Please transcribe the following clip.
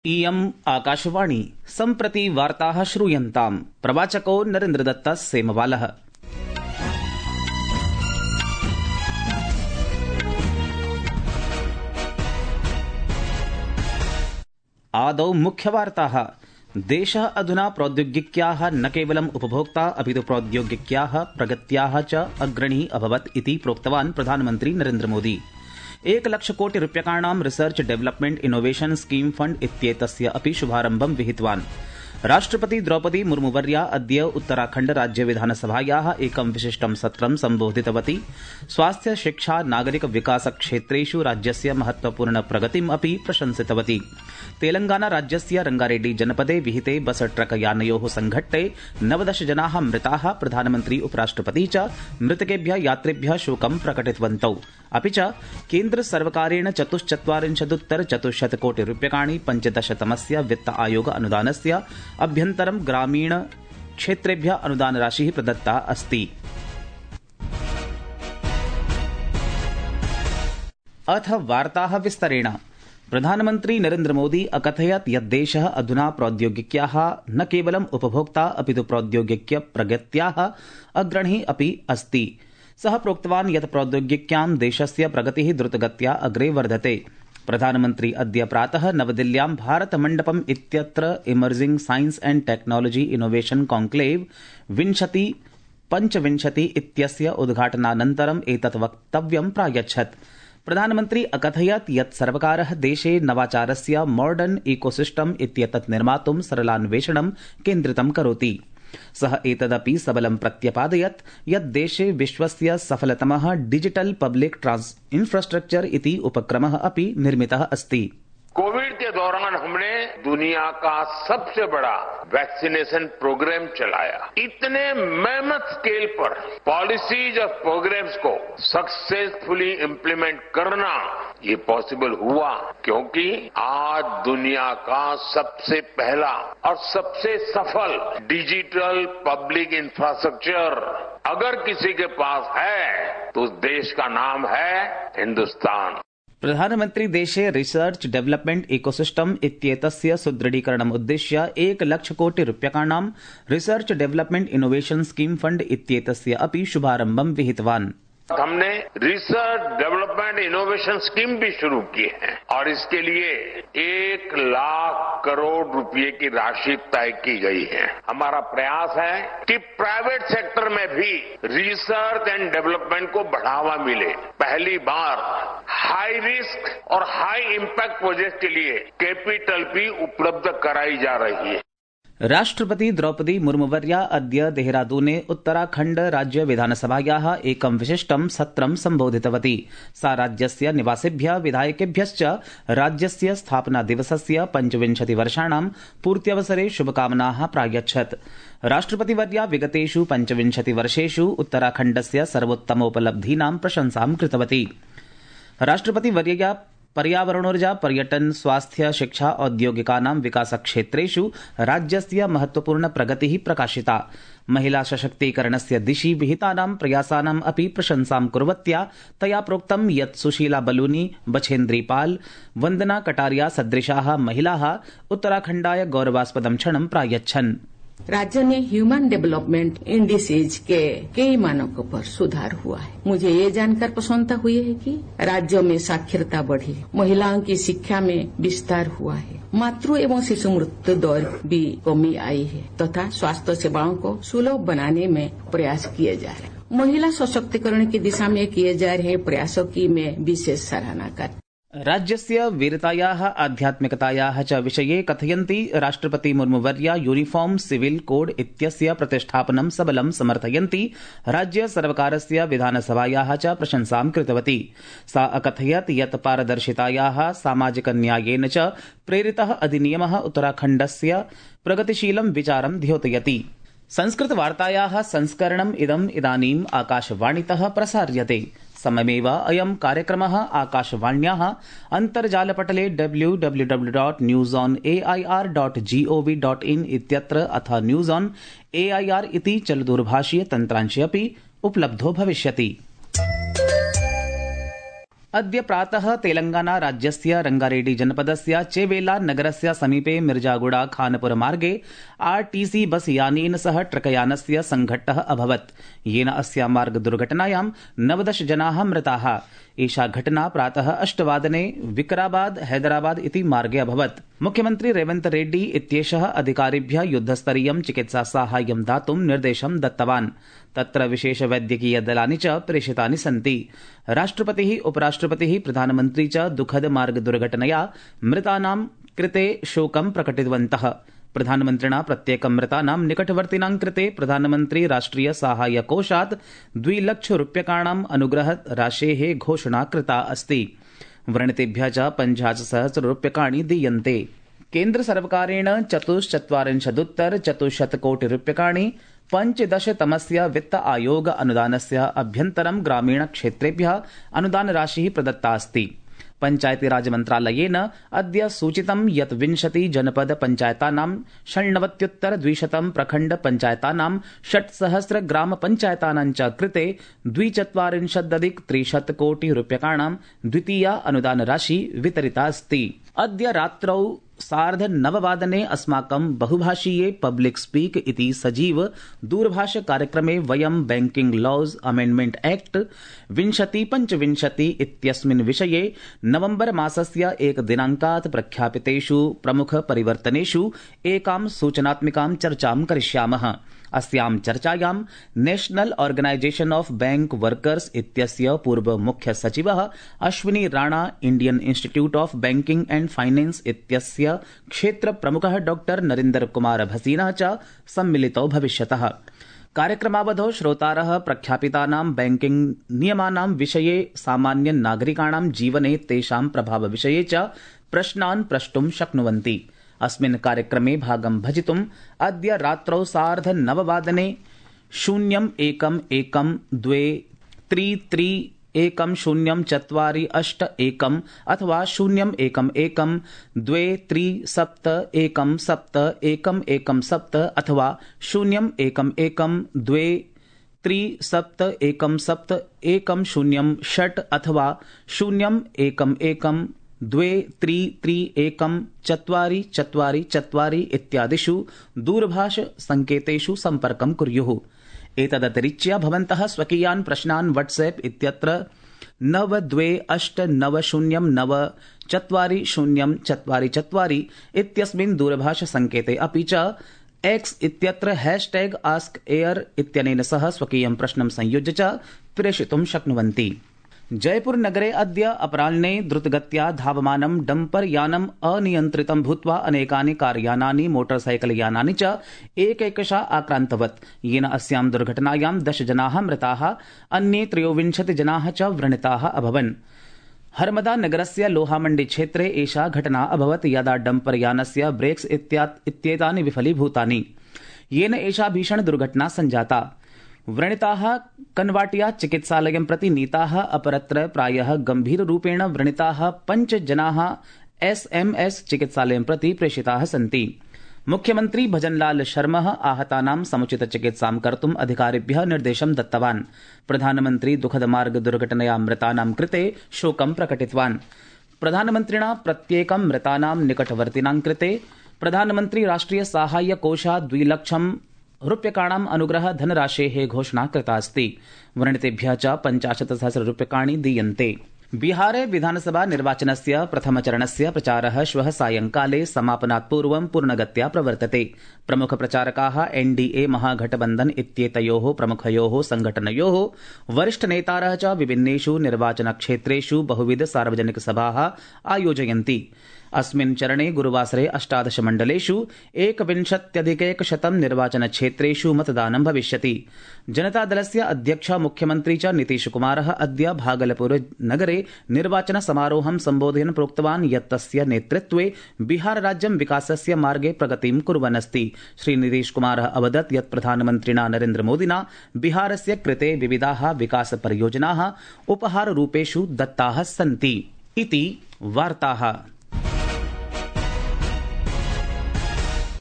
इयम् आकाशवाणी सम्प्रति वार्ताः श्रूयन्ताम्। प्रवाचको नरेन्द्रदत्तः सेमवालः। आदौ मुख्यवार्ताः। देशः अधुना प्रौद्योगिक्याः न केवलम् उपभोक्ता अपितु प्रौद्योगिक्याः प्रगत्याः च अग्रणी अभवत् इति प्रोक्तवान् प्रधानमन्त्री नरेन्द्र मोदी। 1,00,000 कोटि रूप्यकाणां research development innovation scheme fund इत्येतस्य अपि शुभारम्भं विहितवान्। राष्ट्रपति द्रौपदी मुर्मुवर्या अद्य उत्तराखण्ड राज्य विधानसभायाः एकं विशिष्टं सत्रं सम्बोधितवती। स्वास्थ्य शिक्षा नागरिक विकास क्षेत्रेषु राज्यस्य महत्वपूर्ण प्रगतिम् अपि प्रशंसितवती। तेलंगाना राज्यस्य रंगारेड्डी जनपदे विहिते बस ट्रक यानयोः संघट्टे 19 जनाः मृताः। प्रधानमन्त्री उपराष्ट्रपति च मृतकेभ्यः यात्रिभ्यः शोकं प्रकटितवन्तौ। अपि च केन्द्र सर्वकारेण 44,400 कोटि रूप्यकाणि 15तमस्य वित्त आयोग अनुदानस्य अभ्यन्तरं ग्रामीण क्षेत्रेभ्यः अनुदानराशिः प्रदत्ता अस्ति। अथ वार्ताः विस्तरेण। प्रधानमन्त्री नरेन्द्र मोदी अकथयत् यत् देशः अधुना प्रौद्योगिक्याः न केवलम् उपभोक्ता अपितु प्रौद्योगिक्य प्रगत्याः अग्रणी अपि अस्ति। सः प्रोक्तवान् यत् प्रौद्योगिक्यां देशस्य प्रगतिः द्रुतगत्या अग्रे वर्धते। प्रधानमन्त्री अद्य प्रातः नवदिल्ल्यां भारत मण्डपम् इत्यत्र emerging science and technology innovation conclave 2025 इत्यस्य उद्घाटनानन्तरम् एतत् वक्तव्यं प्रायच्छत्। प्रधानमन्त्री अकथयत् यत् सर्वकारः देशे नवाचारस्य मॉडर्न इकोसिस्टम इत्येतत् निर्मातुं सरलान्वेषणं केन्द्रितं करोति। सः एतदपि सबलं प्रत्यपादयत् यत् देशे विश्वस्य सफलतमः डिजिटल पब्लिक इंफ्रास्ट्रक्चर इति उपक्रमः अपि निर्मितः अस्ति। कोविड के दौरान हमने दुनिया का सबसे बड़ा वैक्सीनेशन प्रोग्राम चलाया। इतने मेहनत स्केल पर पॉलिसीज और प्रोग्राम्स को सक्सेसफुली इम्प्लीमेंट करना ये पॉसिबल हुआ क्योंकि आज दुनिया का सबसे पहला और सबसे सफल डिजिटल पब्लिक इंफ्रास्ट्रक्चर अगर किसी के पास है तो उस देश का नाम है हिंदुस्तान। प्रधानमन्त्री देशे रिसर्च डेवलपमेंट इकोसिस्टम इत्येतस्य सुदृढीकरणम् उद्दिश्य 1,00,000 कोटि रूप्यकाणां research development innovation scheme fund इत्येतस्य अपि शुभारम्भं विहितवान्। हमने रिसर्च डेवलपमेंट इनोवेशन स्कीम भी शुरू की है और इसके लिए 1,00,000 करोड़ रुपए की राशि तय की गई है। हमारा प्रयास है कि प्राइवेट सेक्टर में भी रिसर्च एंड डेवलपमेंट को बढ़ावा मिले। पहली बार हाई रिस्क और हाई इम्पैक्ट प्रोजेक्ट के लिए कैपिटल भी उपलब्ध कराई जा रही है। राष्ट्रपति द्रौपदी मुर्मुवर्या अद्य देहरादूने उत्तराखण्ड राज्य विधानसभायाः एकं विशिष्टं सत्रं सम्बोधितवती। सा राज्यस्य निवासिभ्यः विधायकेभ्यश्च राज्यस्य स्थापना दिवसस्य 25 वर्षाणां पूर्त्यवसरे शुभकामनाः प्रायच्छत्। राष्ट्रपतिवर्या विगतेषु 25 वर्षेषु उत्तराखण्डस्य सर्वोत्तमोपलब्धीनां प्रशंसां कृतवती। राष्ट्रपतिवर्यया पर्यावरणोर्जा पर्यटन स्वास्थ्य शिक्षा औद्योगिकानां विकासक्षेत्रेषु राज्यस्य महत्वपूर्ण प्रगतिः प्रकाशिता। महिला सशक्तीकरणस्य दिशि विहितानां प्रयासानाम् अपि प्रशंसां कुर्वत्या तया प्रोक्तं यत् सुशीला बलूनी बछेन्द्री पाल वन्दना कटारिया सदृशाः महिलाः उत्तराखण्डाय गौरवास्पदं क्षणं प्रायच्छन्। राज्य ने ह्यूमन डेवलपमेंट इंडिसेज के कई मानकों पर सुधार हुआ है। मुझे ये जानकर प्रसन्नता हुई है कि राज्यों में साक्षरता बढ़ी, महिलाओं की शिक्षा में विस्तार हुआ है, मातृ एवं शिशु मृत्यु दर भी कमी आई है तथा स्वास्थ्य सेवाओं को सुलभ बनाने में प्रयास किए जा रहे हैं। महिला सशक्तिकरण की दिशा में किए जा रहे प्रयासों की मैं विशेष सराहना करती। राज्यस्य वीरतायाः आध्यात्मिकतायाः च विषये कथयन्ती राष्ट्रपति मुर्मुवर्या यूनिफॉर्म सिविल कोड इत्यस्य प्रतिष्ठापनं सबलं समर्थयन्ती राज्य सर्वकारस्य विधानसभायाः च प्रशंसां कृतवती। सा अकथयत् यत् पारदर्शितायाः सामाजिक न्यायेन च प्रेरितः अधिनियमः उत्तराखण्डस्य प्रगतिशीलं विचारं द्योतयति। संस्कृतवार्तायाः संस्करणम् इदानीम् आकाशवाणीतः प्रसार्यते। सममेव अयं कार्यक्रमः आकाशवाण्याः अन्तर्जालपटले www.newsonair.gov.in इत्यत्र अथ न्यूज ऑन एआईआर इति चलदूरभाषीय तन्त्रांशे अपि उपलब्धो भविष्यति। अद्य प्रातः तेलंगाना राज्यस्य रंगारेड्डी जनपदस्य चेवेला नगरस्य समीपे मिर्जागुड़ा खानपुर मार्गे आरटीसी बस यानेन सह ट्रकयानस्य संघट्टः अभवत्, येन अस्या मार्ग दुर्घटनायां 19 जनाः मृताः। एषा घटना प्रातः 8 वादने विकराबाद हैदराबाद इति मार्गे अभवत्। मुख्यमंत्री रेवंत रेड्डी इत्येषः अधिकारिभ्यः युद्धस्तरीयं चिकित्सा साहाय्यं दातुं निर्देशं दत्तवान्। तत्र विशेष वैद्यकीय दलानि च प्रेषितानि सन्ति। राष्ट्रपतिः, उपराष्ट्रपतिः, प्रधानमन्त्री च दुःखद मार्ग दुर्घटनया मृतानां कृते शोकं प्रकटितवन्तः। प्रधानमन्त्रिणा प्रत्येकं मृतानां निकटवर्तिनां कृते प्रधानमन्त्री राष्ट्रिय साहाय्य कोषात् 2 लाख रूप्यकाणाम् अनुग्रह राशेः घोषणा कृता अस्ति। व्रणितेभ्यः च 50,000 रूप्यकाणि दीयन्ते। केन्द्र सर्वकारेण 44,400 कोटि रूप्यकाणि 15तमस्य वित्त आयोग अनुदानस्य अभ्यन्तरं ग्रामीण क्षेत्रेभ्यः अनुदान राशिः प्रदत्ता अस्ति। पंचायती राज मन्त्रालयेन अद्य सूचितं यत् 20 जनपद पञ्चायतानां 96,200 प्रखण्ड पञ्चायतानां 6,000 ग्राम पञ्चायतानां च कृते 42,300 कोटि रूप्यकाणां द्वितीया अनुदान राशि वितरिता अस्ति। अद्य रात्रौ 9:30 अस्माकं बहुभाषीये पब्लिक स्पीक इति सजीव दूरभाष कार्यक्रमे वयं बैंकिंग लॉज अमेंडमेंट एक्ट 2025 इत्यस्मिन् विषये नवंबर मासस्य 1 दिनांकात् प्रख्यापितेषु प्रमुख परिवर्तनेषु एकां सूचनात्मिकां चर्चां करिष्यामः। अस्यां चर्चायां national organisation of bank workers इत्यस्य पूर्व मुख्य सचिवः Ashwini Rana, Indian institute of banking and finance इत्यस्य क्षेत्र प्रमुखः डॉक्टर नरेंद्र कुमार भसीनः च सम्मिलितौ भविष्यतः। कार्यक्रमावधौ श्रोतारः प्रख्यापितानां बैंकिंग नियमानां विषये, सामान्य नागरिकाणां जीवने तेषां प्रभावविषये च प्रश्नान् प्रष्टुं शक्नुवन्ति। अस्मिन् कार्यक्रमे भागं भजितुम् अद्य रात्रौ 9:30 0112331048 अथवा 011237171117 अथवा 0112371710 अथवा 0112331444 इत्यादिषु दूरभाष संकेतेषु सम्पर्कं कुर्युः। एतदतिरिच्य भवन्तः स्वकीयान् प्रश्नान् व्हाट्सएप इत्यत्र 9228904044 इत्यस्मिन् दूरभाष संकेते अपि च एक्स इत्यत्र #AskAir इत्यनेन सह स्वकीयं प्रश्नं संयुज्य च प्रेषितुं शक्नुवन्ति। जयपुर नगरे अद्य अपराह्ने द्रुतगत्या धावमानं डम्पर यानम् अनियन्त्रितं भूत्वा अनेकानि कार्यानानि, मोटरसाइकल यानानि च एकैकशः आक्रान्तवत्, येन अस्यां दुर्घटनायां 10 जनाः मृताः, अन्ये 23 जनाः च व्रणिताः अभवन्। हरमदा नगरस्य लोहामण्डी क्षेत्रे एषा घटना अभवत्, यदा डम्पर यानस्य ब्रेक्स इत्येतानि विफलीभूतानि, येन एषा भीषण दुर्घटना सञ्जाता। व्रणिताः कन्वाटिया चिकित्सालयं प्रति नीताः, अपरत्र प्रायः गम्भीररूपेण व्रणिताः 5 जनाः SMS चिकित्सालयं प्रति प्रेषिताः सन्ति। मुख्यमंत्री भजनलाल शर्मा आहतानां समुचित चिकित्सां कर्तुम् अधिकारिभ्यः निर्देशं दत्तवान्। प्रधानमन्त्री दुःखद मार्ग दुर्घटनया मृतानां कृते शोकं प्रकटितवान्। प्रधानमन्त्रिणा प्रत्येकं मृतानां निकटवर्तिनां कृते प्रधानमन्त्री राष्ट्रिय साहाय्य कोषात् 2 लाख रूप्यकाणाम् अनुग्रह धनराशेः घोषणा कृता अस्ति। व्रणितेभ्यः च 50,000 रूप्यकाणि दीयन्ते। बिहारे विधानसभा निर्वाचनस्य प्रथमचरणस्य प्रचारः श्वः सायंकाले समापनात् पूर्वं पूर्णगत्या प्रवर्तते। प्रमुख प्रचारकाः NDA महागठबन्धन इत्येतयोः प्रमुखयोः संघटनयोः वरिष्ठनेतारः च विभिन्नेषु निर्वाचनक्षेत्रेषु बहुविध सार्वजनिक सभाः आयोजयन्ति। अस्मिन् चरणे गुरुवासरे 18 मण्डलेषु 1,100 निर्वाचनक्षेत्रेषु मतदानं भविष्यति। जनतादलस्य अध्यक्ष मुख्यमन्त्री च नीतीशकुमारः अद्य भागलपुर नगरे निर्वाचन समारोहं सम्बोधयन् प्रोक्तवान् यत् तस्य नेतृत्वे बिहार राज्यं विकासस्य मार्गे प्रगतिं कुर्वन् अस्ति। श्री नीतीशकुमारः अवदत् यत् प्रधानमन्त्रिणा नरेन्द्र मोदिना बिहारस्य कृते विविधाः विकास परियोजनाः उपहाररूपेषु दत्ताः सन्ति इति वार्ताः।